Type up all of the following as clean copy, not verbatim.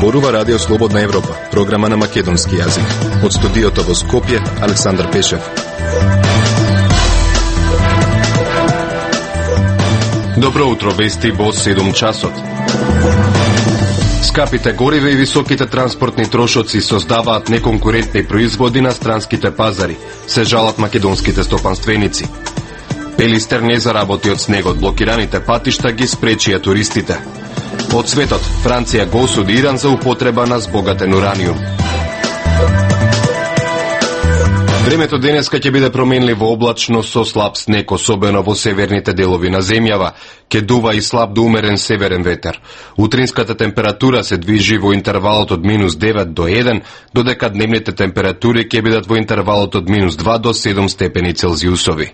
Зборува Радио Слободна Европа, програма на македонски јазик. Од студиото во Скопје, Александар Пешев. Добро утро, вести во 7 часот. Скапите гориве и високите транспортни трошоци создаваат неконкурентни производи на странските пазари, се жалат македонските стопанственици. Пелистер не заработи од снегот, блокираните патишта ги спречија туристите. Од светот, Франција го осуди Иран за употреба на збогатен ураниум. Времето денеска ќе биде променливо облачно со слаб снег, особено во северните делови на земјава. Ќе дува и слаб до умерен северен ветер. Утринската температура се движи во интервалот од -9 до 1, додека дневните температури ќе бидат во интервалот од -2 до 7 степени Целзиусови.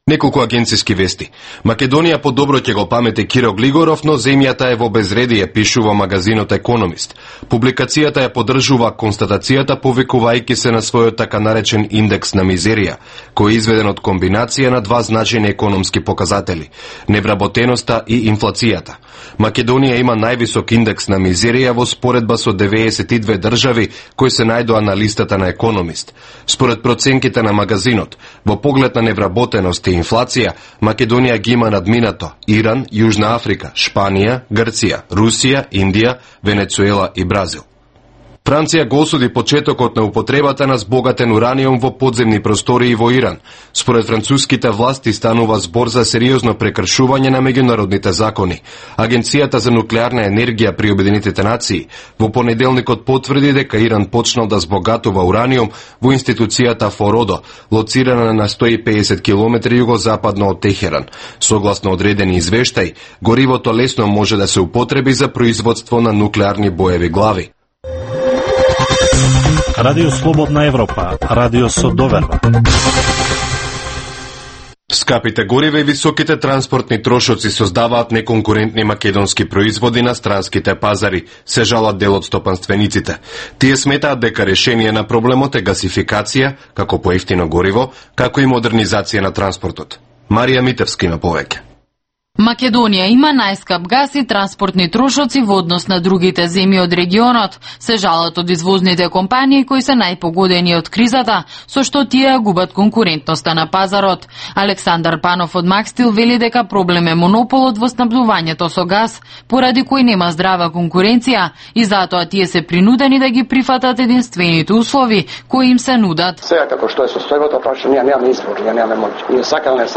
Неколку агенциски вести. Македонија подобро ќе го памете Киро Глигоров, но земјата е во безредие, пишува магазинот Економист. Публикацијата ја поддржува констатацијата, повикувајќи се на својот така наречен индекс на мизерија, кој е изведен од комбинација на два значајни економски показатели – невработеноста и инфлацијата. Македонија има највисок индекс на мизерија во споредба со 92 држави кои се најдоа на листата на Економист. Според проценките на магазинот, во поглед на невработеност и инфлација, Македонија ги има надминато Иран, Јужна Африка, Шпанија, Грција, Русија, Индија, Венецуела и Бразил. Франција го осуди почетокот на употребата на збогатен ураниум во подземни простории во Иран. Според француските власти станува збор за сериозно прекршување на меѓународните закони. Агенцијата за нуклеарна енергија при Обединетите нации во понеделникот потврди дека Иран почнал да збогатува ураниум во институцијата Фородо, лоцирана на 150 км југозападно од Техеран. Согласно одредени извештај, горивото лесно може да се употреби за производство на нуклеарни боеви глави. Радио Слободна Европа, радио со доверба. Скапите гориве и високите транспортни трошоци создаваат неконкурентни македонски производи на странските пазари, се жалат дел од стопанствениците. Тие сметаат дека решение на проблемот е гасификација, како поевтино гориво, како и модернизација на транспортот. Марија Митевски на повеќе. Македонија има најскап газ и транспортни трошоци во однос на другите земји од регионот, се жалат од извозните компании кои се најпогодени од кризата, со што тие губат конкурентноста на пазарот. Александар Панов од Макстил вели дека проблем е монополот во снабдувањето со газ, поради кој нема здрава конкуренција и затоа тие се принудени да ги прифатат единствените услови кои им се нудат. Сега како што е состојбата, прашање ние немаме избор, ние немаме моќ. Ние сакале,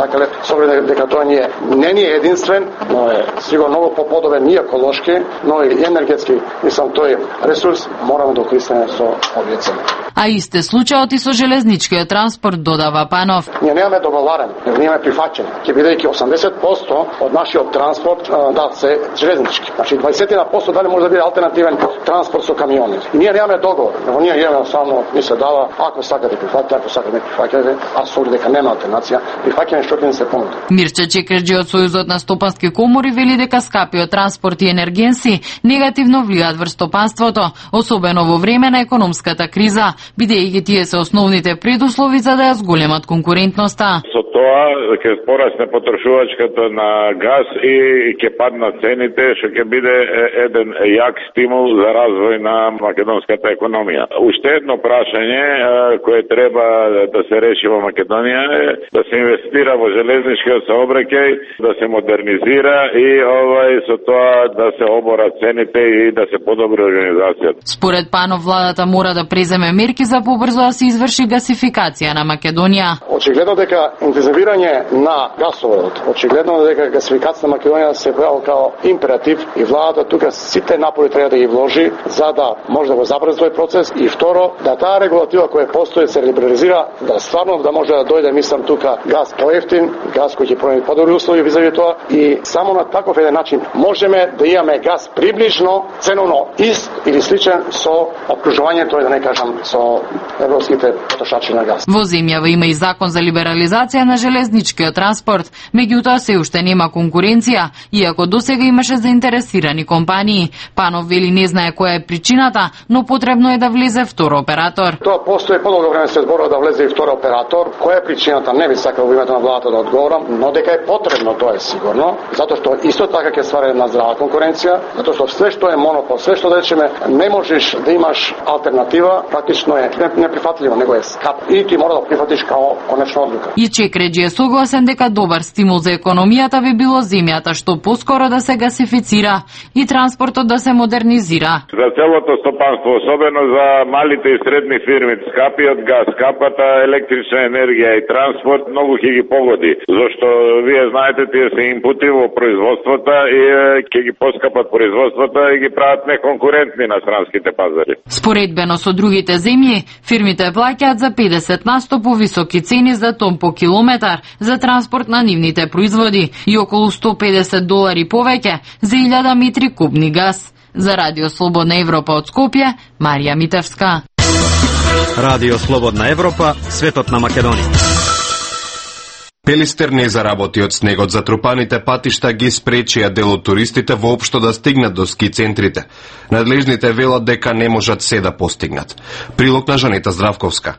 со оглед дека тоа не е единствен, но е сигурно многу поподобен и еколошки, но и енергетски, мислам тој ресурс мораме да користиме со овие цени. А исте случајот и со железничкиот транспорт, додава Панов. Ние немаме договарен, ние имаме прифаќање. Ќе бидејќи 80% од нашиот транспорт се железнички. Значи 20% дали може да биде алтернативен транспорт со камиони. И ние немаме договор, но ние имаме само ни се дава, ако сакате прифаќате, ако сакате не прифаќате, а со дека нема алтернација, прифаќање што ќе ни се понуди. Мирче Чекерџи од Сојузот на стопански комори вели дека скапиот транспорт и енергенси негативно влијаат врз стопанството, особено во време на економската криза, бидејќи тие се основните предуслови за да ја зголемат конкурентноста. Со тоа ќе порасне потрошувачката на газ и ќе паднат цените, што ќе биде еден јак стимул за развој на македонската економија. Уште едно прашање кое треба да се реши во Македонија е да се инвестира во железничкиот сообраќај, да се модернизира и со тоа да се оборат цените и да се подобри организацијата. Според Панов, владата мора да преземе мерки за побрзо да се изврши гасификација на Македонија. Очигледно дека интензивирање на гасоводот, очигледно дека гасификација на Македонија се појавила као императив и владата тука сите напори треба да ги вложи за да може да го забрзи тој процес и второ да таа регулатива која постои се либерализира, да стварно да може да дојде, мислам тука газ поевтин, газ кој ќе понуди подобри услови визави тоа и само на таков еден начин можеме да имаме газ приближно ценовно ист или сличен со опкружувањето, да не кажам, со европските потрошачи на газ. Во земјава има и закон за либерализација на на железничкиот транспорт, меѓутоа се уште нема конкуренција, иако досега имаше заинтересирани компании. Панов вели не знае која е причината, но потребно е да влезе втор оператор. Тоа постои подолго време се зборува да влезе и втор оператор. Која е причината? Не би сакал во името на владата да одговорам, но дека е потребно, тоа е сигурно, затоа што исто така ќе ствари една здрава конкуренција, затоа што све што е монопол, све што да речеме не можеш да имаш алтернатива, практично е неприфатливо, него е скап и ти мора да прифатиш као конечна одлука. И Чекреджи е согласен дека добар стимул за економијата би било земјата што поскоро да се гасифицира и транспортот да се модернизира. За целото стопанство, особено за малите и средни фирми, скапиот газ, скапата електрична енергија и транспорт многу ќе ги погоди, зашто вие знаете тие се инпути во производството и ќе ги поскапат производството и ги прават неконкурентни на странските пазари. Споредбено со другите земји, фирмите плаќаат за 50% повисоки цени за тон по километар за транспорт на нивните производи и околу $150 повеќе за 1000 метри кубни газ. За Радио Слободна Европа од Скопје, Марија Митевска. Радио Слободна Европа, светот на Македонија. Пелистер не заработи од снегот, затрупаните патишта ги спречија дел од туристите воопшто да стигнат до ски центрите. Надлежните велат дека не можат се да постигнат. Прилог на Жанета Здравковска.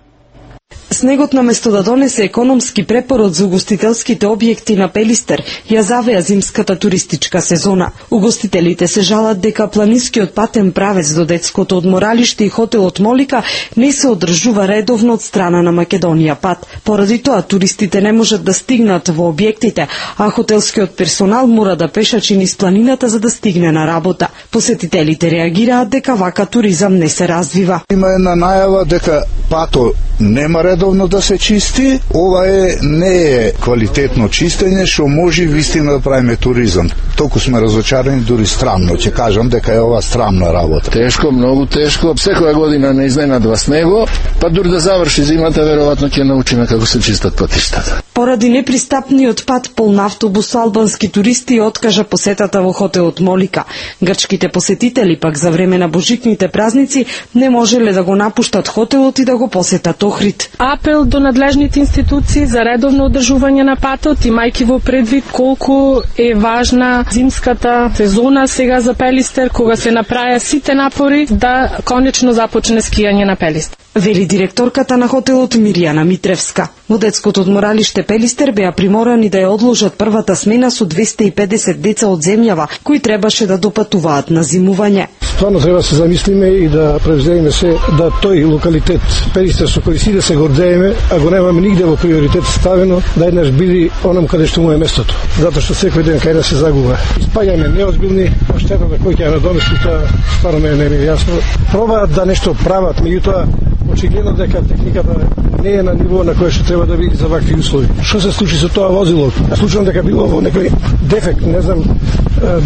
Снегот наместо да донесе економски препород за угостителските објекти на Пелистер, ја завеа зимската туристичка сезона. Угостителите се жалат дека планинскиот патен правец до детското одморалиште и хотелот Молика не се одржува редовно од страна на Македонија пат. Поради тоа туристите не можат да стигнат во објектите, а хотелскиот персонал мора да пешачи низ планината за да стигне на работа. Посетителите реагираат дека вака туризам не се развива. Има една најава дека пато нема редовно да се чисти, ова не е квалитетно чистење што може вистина да правиме туризам. Толку сме разочарани, дури странно, ќе кажам дека е ова странна работа. Тешко, многу тешко. Секоја година не изненадва снего, па дури да заврши зимата, веројатно ќе научиме како се чистат патиштата. Поради непристапниот пат полн автобус, албански туристи откажа посетата во хотелот Молика. Грчките посетители пак за време на божикните празници не можеле да го напуштат хотелот и да го посетат Охрид. Апел до надлежните институции за редовно одржување на патот, имајќи во предвид колку е важна зимската сезона сега за Пелистер, кога се направија сите напори да конечно започне скијање на Пелистер. Вели директорката на хотелот Мирјана Митревска. Во детското одморалиште Пелистер беа приморани да ја одложат првата смена со 250 деца од земјава, кои требаше да допатуваат на зимување. Стварно треба да се замислиме и да превземеме се да тој локалитет Пелистер со кој си да се гордееме, а го немаме нигде во приоритет ставено, да еднаш биде онам каде што му е местото. Затоа што секој ден кај да се загуба. Испаѓаме неозбилни, а штетата кој ќе ја надомести, тоа стварно не е јасно. Пробаат да нешто прават, меѓутоа очигледно дека техниката не е на ниво на кое што треба да биде за вакви услови. Што се случи со тоа возило? Случувам дека било во некој дефект, не знам,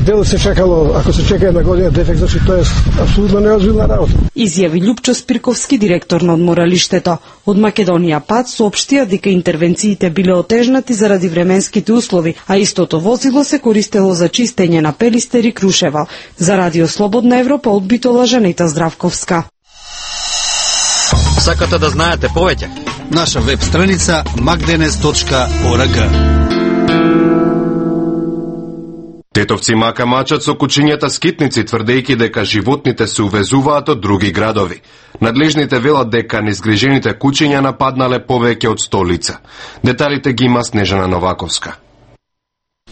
дел се чекало, ако се чека една година дефект, значи тоа е апсолутно неозбилна работа. Изјави Љупчо Спирковски, директор на одморалиштето. Од Македонија пат соопштија дека интервенциите биле отежнати заради временските услови, а истото возило се користело за чистење на Пелистер и Крушева. За Радио Слободна Европа од Битола, Жанета Здравковска. Сакате да знаете повеќе? Наша веб страница magdenes.org. Тетовци мака мачат со кучињата скитници, тврдејќи дека животните се увезуваат од други градови. Надлежните велат дека незгрижените кучиња нападнале повеќе од 100 лица. Деталите ги има Снежана Новаковска.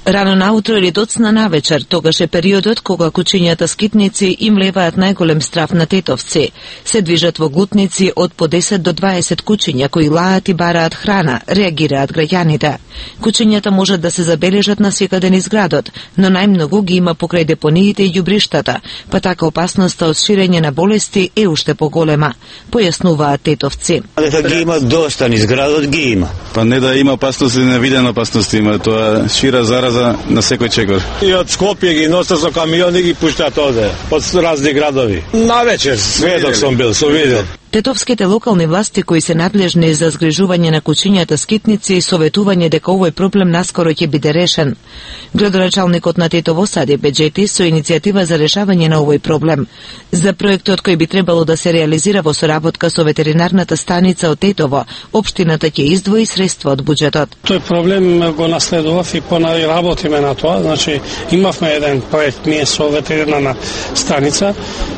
Рано наутро или доцна навечер, тогаш е периодот кога кучињата скитници им леваат најголем страф на тетовци. Се движат во глутници од по 10 до 20 кучиња кои лаат и бараат храна, реагираат граѓаните. Кучињата можат да се забележат насекаде низ градот, но најмногу ги има покрај депониите и ѓубриштата, па така опасноста од ширење на болести е уште поголема, појаснуваат тетовци. Дека ги има доста низ градот, ги има. Па не да има опасност, невидена опасност има, тоа шира зараза на секој чекор. И од Скопје ги носат со камиони и ги пуштаат оде, од разни градови. Навечер, сведок сум бил, сум видел. Тетовските локални власти кои се надлежни за згрижување на кучињата скитници советување дека овој проблем наскоро ќе биде решен. Градоначалникот на Тетово Сади Беџети со иницијатива за решавање на овој проблем. За проектот кој би требало да се реализира во соработка со ветеринарната станица од Тетово, општината ќе издвои средства од буџетот. Тој проблем го наследував и понари работиме на тоа. Значи имавме еден проект ние со ветеринарна станица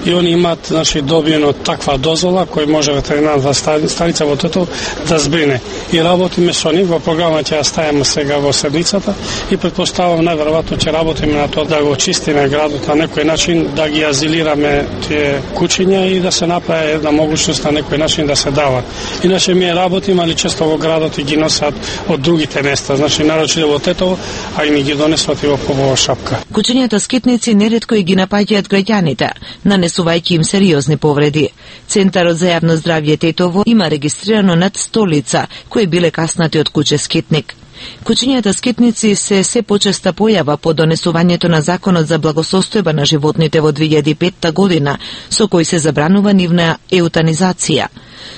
и они имаат добиено таква дозвола кој може ветеринарната станица во Тетово да збрине. И работиме со нив, во програма ќе ја ставиме сега во седмицата и претпоставувам најверојатно ќе работиме на тоа да го чистиме градот на некој начин, да ги азилираме тие кучиња и да се направи една можност на некој начин да се дава. Иначе ми работиме, али често во градот и ги носат од другите места, значи нарочито во Тетово, а и ни ги донесуват и во побова шапка. Кучињата скитници неретко и ги напаѓаат граѓаните, нанесувајќи им сериозни повреди. Центарот за јавно здравје Тетово има регистрирано над 100 лица кои биле каснати од куче скитник. Кучињата скитници се почеста појава по донесувањето на Законот за благосостојба на животните во 2005 година, со кој се забранува нивна еутанизација.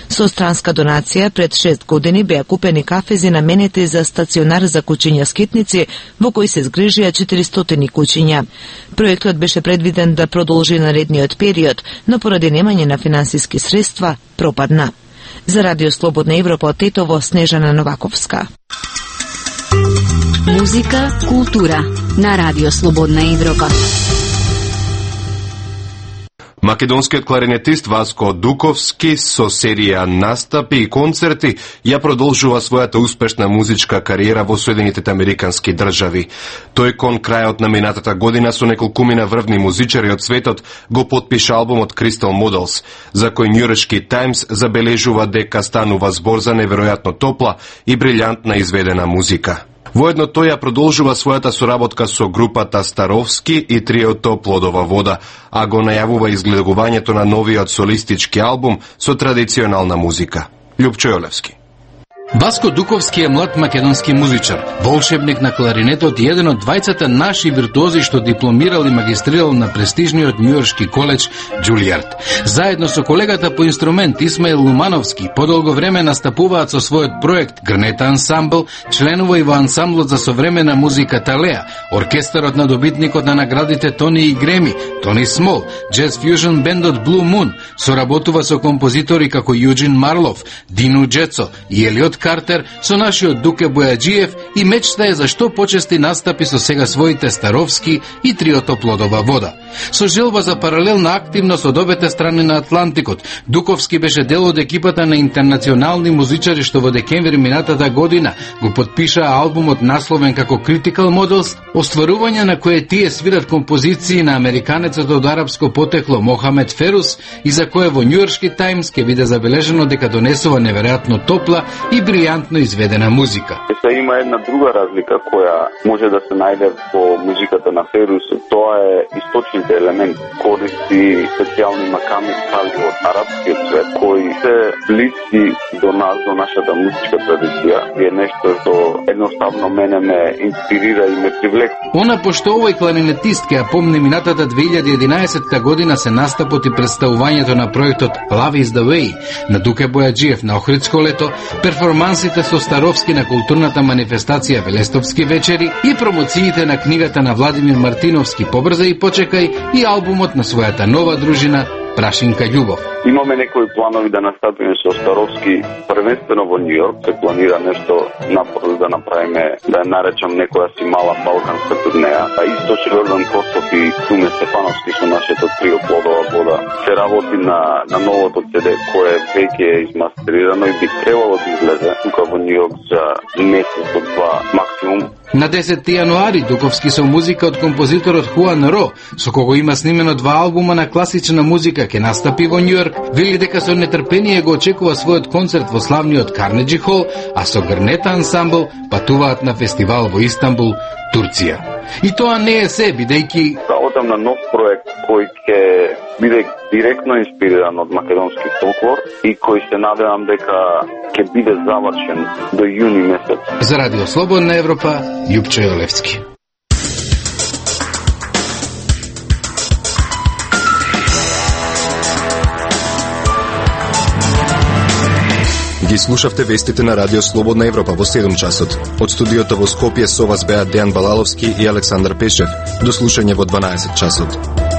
Со странска донација пред 6 години беа купени кафези наменети за стационар за кучиња скитници, во кој се згрижија 400 кучиња. Проектот беше предвиден да продолжи наредниот период, но поради немање на финансиски средства пропадна. За Радио Слободна Европа од Тетово, Снежана Новаковска. Музика, култура на Радио Слободна Европа. Македонскиот кларинетист Васко Дуковски со серија настапи и концерти ја продолжува својата успешна музичка кариера во Соединетите Американски држави. Тој кон крајот на минатата година со неколкумина врвни музичари од светот го потпиша албумот Crystal Models, за кој Нјујоршки Таймс забележува дека станува збор за неверојатно топла и брилјантна изведена музика. Воедно тој ја продолжува својата соработка со групата Старовски и триото Плодова вода, а го најавува изгледувањето на новиот солистички албум со традиционална музика. Љупчо Јолевски. Васко Дуковски е млад македонски музичар, волшебник на кларинетот и еден од двајцата наши виртуози што дипломирал и магистрирал на престижниот Њујоршки коледж Џулијард. Заедно со колегата по инструмент Исмаил Лумановски подолго време настапуваат со својот проект Грнета ансамбл, членува и во ансамблот за современа музика Талеа, оркестарот на добитникот на наградите Тони и Греми, Тони Смол, джез фјужн бендот Blue Moon, соработува со композитори како Јуџин Марлов, Дину Џецо и Елиот Картер, со нашиот Дуке Бојаджиев и мечта е за што почести настапи со сега своите Старовски и триото Плодова вода. Со желба за паралелна активност од обете страни на Атлантикот, Дуковски беше дел од екипата на интернационални музичари што во декември минатата година го потпишаа албумот насловен како Critical Models, остварување на кое тие свират композиции на американецот од арапско потекло Мохамед Ферус и за кое во Њујоршки Таймс ќе биде забележено дека донесува неверојатно топла и брилјантно изведена музика. Има една друга разлика која може да се најде во музиката на Ферус, тоа е источните елементи, користи специјални маками стали од арапскиот свет, кои се блиски до нас, до нашата музичка традиција, и е нешто што едноставно мене ме инспирира и ме привлека. Она пошто овој кларинетист ќе ја помни минатата 2011 година се настапот и представувањето на проектот Love is the Way на Дуке Бојаджиев на Охридско лето, перформансите со Старовски на културната манифестација Велестовски вечери и промоциите на книгата на Владимир Мартиновски Побрза и почекај и албумот на својата нова дружина Прашинка љубов. Имаме некои планови да настапиме со Старовски првенствено во Њујорк, се планира нешто напорно да направиме, да ја наречам некоја си мала балканска турнеја. А исто Йордан Костов и Круме Стефановски со нашето трио Плодова вода. Се работи на новото CD кое веќе е измастерирано и би требало да излезе тука во Њујорк за месец до два максимум. На 10 јануари Дуковски со музика од композиторот Хуан Ро, со кого има снимено 2 албума на класична музика, ќе настапи во Њујорк, вели дека со нетрпение го очекува својот концерт во славниот Карнеджи Хол, а со Грнета ансамбл патуваат на фестивал во Истанбул, Турција. И тоа не е се, бидејќи работам на нов проект кој ќе биде директно инспириран од македонски фолклор и кој се надевам дека ќе биде завршен до јуни месец. За Радио Слободна Европа, Љупчо Јолевски. Ги слушавте вестите на Радио Слободна Европа во 7 часот. Од студиото во Скопје со вас беа Дејан Балаловски и Александар Пешев. До слушање во 12 часот.